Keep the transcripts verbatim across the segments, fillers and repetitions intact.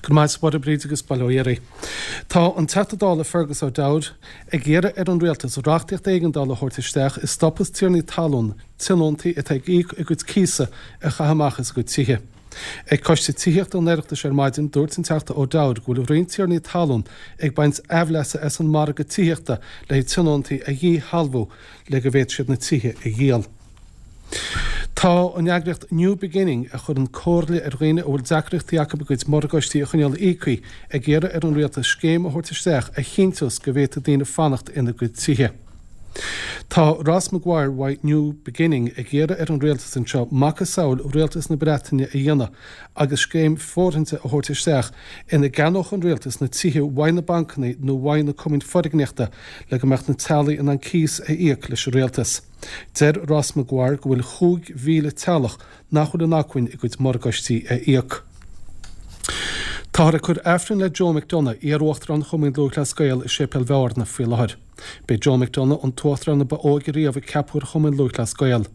Go maith a Bhríd agus bail ó Dhia oraibh. Tá an Teachta Dála Fergus O'Dowd ag iarraidh ar an rialtas reachtaíocht éigeandála a thabhairt isteach a stopfas tiarnaí talún tionóntaí atá ag íoc a gcuid cíosa a chaitheamh amach as a gcuid tithe. Ag coiste tithíochta an Oireachtais ar maidin dúirt an Teachta O'Dowd go bhfuil roinnt tiarnaí talún ag baint aimhleasa as an margadh tithíochta le tionóntaí a dhíshealbhú le go bhféadfaidh siad na tithe a dhíol. Tá an eagraíocht New Beginning a chuireann comhairle ar dhaoine a bhfuil deacrachtaí acu a gcuid morgáistí a choinneáil íoctha ag iarraidh ar an rialtas scéim a thabhairt isteach a chinnteos go bhféadfaidh daoine fanacht ina gcuid tithe. Tá Ross Maguire uaidh New Beginning ag iarraidh ar an rialtas anseo macasamhail rialtas na Breataine a dhéanamh agus scéim fóirithinte a thabhairt isteach ina gceannódh an rialtas na tithe uaidh na bancanna nó uaidh na cumainn foirgníochta le go mbeadh na teaghlaigh in ann cíos a íoc leis an rialtas. Deir Ross Maguire go bhfuil chúig mhíle teaghlach nach bhfuil in acmhainn a gcuid morgáistí a íoc. Táthar ag cur Aifreann le Joe McDonagh, iar-uachtarán Chumann Lúthchleas Gael i Séipéal Bhearna faoi láthair. B'é Joe McDonagh an t-uachtarán ba óige riamh a ceapadh ar Chumann Lúthchleas Gael.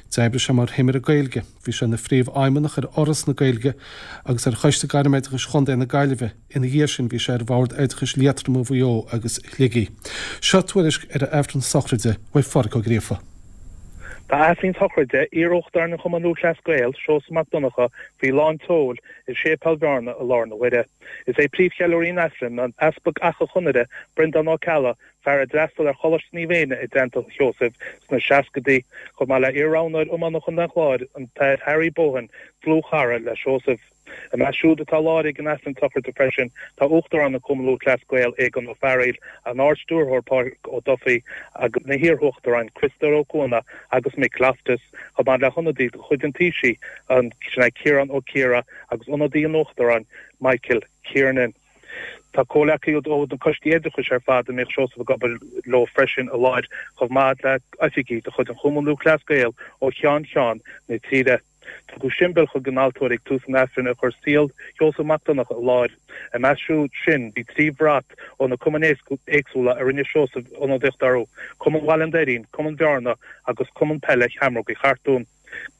D'oibrigh sé mar thimire Gaeilge, bhí sé ina phríomhfheidhmeannach ar Fhoras na Gaeilge agus ar Choiste Gairmoideachais Chontae na Gaillimhe. Ina dhiaidh sin bhí sé ar Bhord Oideachais Liatroma Mhaigh Eo agus Shligigh. Seo tuairisc ar a Aifreann sochraide uaidh Phádraig Ó Gríofa. Tá Aifreann sochraide iar-uachtarán an Chumann Lúthchleas Gael, Seosamh Mac Donncha, faoi lán tseoil i Séipéal Bhearna i lár na huaire. Is é príomhcheiliúraí an Aifrinn an tEaspag Achadh Chonaire, Breandán Ó Ceallaigh, fear a d'fhreastail ar Choláiste Naomh Éanna i dteannta Sheosaimh sna seascaidí, chomh maith le iar-roghnóir iomána Chontae an Chláir, an tAthair Harry Bohan, dlúthchara le Seosamh. I measc siúd atá i láthair ag an Aifreann sochraide freisin tá Uachtarán an Chumann Lúthchleas Gael, Aogán Ó Fearghaíl, an Ard-Stiúrthóir Pádraig Ó Dufaigh agus na hiarUachtaráin Criostóir Ó Cuana agus Mick Loftus, chomh maith le hionadaí de chuid an Taoisigh, an sin é Ciarán Ó Ciardha agus ionadaí an Uachtaráin, Michael Kiernan. Tá comhleacaithe ó na coistí oideachais ar fad a mbíodh Seosamh ag obair leo freisin i láthair, chomh maith le oifigigh de chuid an Chumann Lúthchleas Gael ó cheann ceann na tíre. Tugadh siombail chuig an altóir ag tús an Aifrinn a chuir saol Sheosamh Mac Donncha i láthair. I measc siúd sin bhí trí bhrat ó na cumainn éagsúla a rinne Seosamh ionadaíocht orthu, Cumann Bhaile an Doirín, Cumann Bhearna agus Cumann Peile Sheamrógaí Chartún.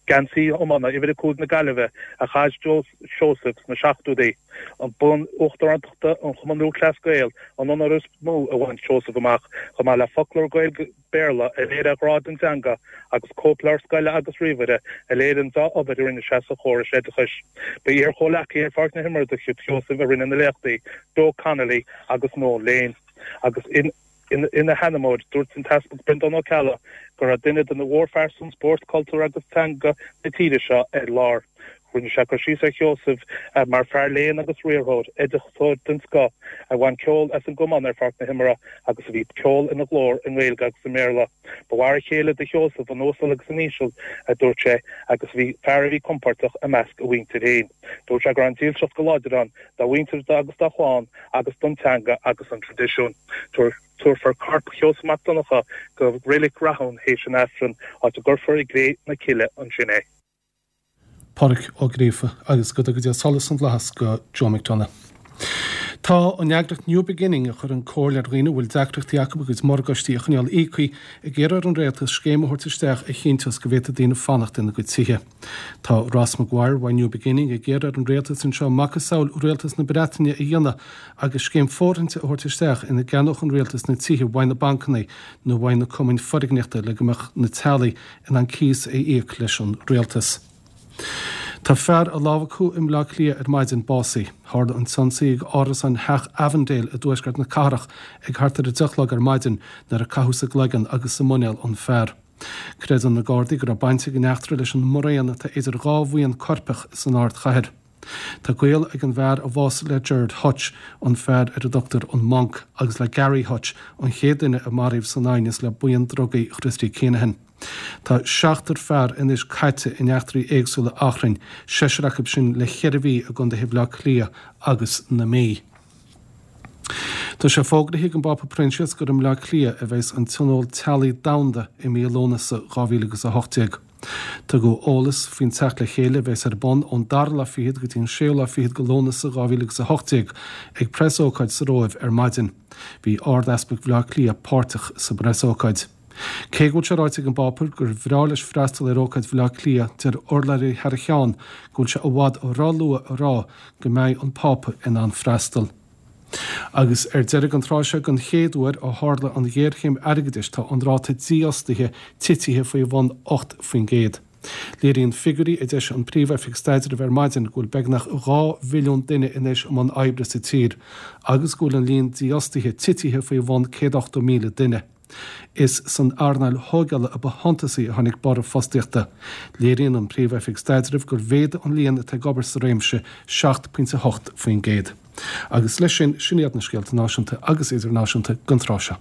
Geansaí iomána uimhir a cúig na Gaillimhe a chaith Seosamh sna seachtóidí. An bonn uachtarántachta an Chumann Lúthchleas Gael an onóir is mó a bhain Seosamh amach, chomh maith le foclóir Gaeilge Béarla a léirigh a ghrá don teanga agus cóipleabhar scoile agus ríomhaire a léirigh an dea-obair a rinne sé sa chóras oideachais. Ba iar-chomhleacaí ar pháirc na himeartha de chuid Sheosaimh a rinne na léachtaí, Joe Connolly agus Noel Lane. Agus ina sheanmóir, dúirt an tEaspag Breandán Ó Ceallaigh go raibh duine de na mhórphearsain spóirt, cultúir agus teanga na tíre seo ar lár. Rinne sé cur síos ar Sheosamh mar fear léinn agus riarthóir, oideachasóir den scoth, a bhain ceol as an gcamán ar pháirc na himeartha agus a bhí ceol ina ghlór i nGaeilge agus i mBéarla. Ba mhar a chéile do Sheosamh an uasal agus an íseal, a dúirt sé, agus bhí fear a bhí compordach i measc a mhuintir féin. Dúirt sé go raibh an dílseacht go láidir ann dá mhuintir agus dá chlann agus don teanga agus an traidisiún. Tabharfar corp Sheosaimh Mac Donncha go Reilig Rathún théis an Aifrinn, áit a gcuirfear i gcré na cille ansin é. Pádraig Ó Gríofa agus go dtuga Dia solas na bhFlaitheas go Joe McDonagh. Tá an eagraíocht New Beginning a chuireann comhairle ar dhaoine a bhfuil deacrachtaí acu a gcuid morgáistí a choinneáil íoctha ag iarraidh ar an rialtas scéim a thabhairt isteach a chinnteos go bhféadfaidh daoine fanacht ina gcuid tithe. Tá Ross Maguire uaidh New Beginning ag iarraidh ar an rialtas anseo macasamhail rialtas na Breataine a dhéanamh agus scéim fóirithinte a thabhairt isteach ina gceannódh an rialtas na tithe uaidh na bancanna nó uaidh na cumainn foirgníochta le go mbeadh na teaghlaigh in ann cíos a íoc leis an rialtas. Tá fear a lámhachadh i mBleá Cliath ar maidin básaithe. Tharla an t-ionsaí ag árasán Theach Avondale i dtuaisceart na cathrach ag thart ar a deich a chlog ar maidin nuair a caitheadh sa gcloigeann agus sa muinéal an fear. Creideann na Gardaí go raibh baint ag an eachtra leis an mbruíon atá idir dhá bhuíon coirpeach san ardchathair. Tá gaol ag an bhfear a bhásaigh le Gerard Hutch, an fear ar a dtugtar an Monk, agus le Gary Hutch, an chéad duine a maraíodh san aighneas le buíon drugaí Christy Kinahan. Tá seachtar fear anois caite in eachtraí éagsúla achrainn, seisear acu sin le ceithre mhí i gcontaetha Bhaile Átha Cliath agus na Mí. Tá sé fógraithe ag an bPápa Proinsias gur i mBleá Cliath a bheas an Tionól Teaghlaigh Domhanda i mí Lúnasa dhá mhíle agus a hocht déag. Tugadh eolas faoin teacht le chéile a bheas ar bun ón dara lá fichead go dtí an séú lá fichead de Lúnasa dhá mhíle agus a hocht déag ag preasócáid sa Róimh ar maidin. Bhí Ard-Easpag Bhaile Átha Cliath páirteach sa bpreasócáid. Cé go bhfuil sé ráite ag an bPápa gur bhreá leis freastal ar ócáid Bhaile Átha Cliath, deir urlabhraí thar a cheann go bhfuil sé i bhfad róluath a rá go mbeidh an Pápa in ann freastal. Agus ar deireadh an tráth seo, den chéad uair ó tharla an ghéarchéim airgeadais tá an ráta dífhostaithe titithe faoi bhun ocht faoin gcéad. Léiríonn figiúirí a d'eisigh an Príomh-Oifig Staidrimh ar maidin go bhfuil beagnach dhá mhilliún duine anois i mbun oibre sa tír agus go bhfuil an líon dífhostaithe titithe faoi bhun céad ochtó míle duine. Is san earnáil thógála a ba shuntasaí a tháinig borradh fostaíochta. Léiríonn an Príomh-Oifig Staidrimh gur mhéadaigh an líon atá ag obair sa réimse seacht pointe a hocht faoin gcéad. Agus leis sin, sin iad na scéalta náisiúnta agus idirnáisiúnta don tráth seo.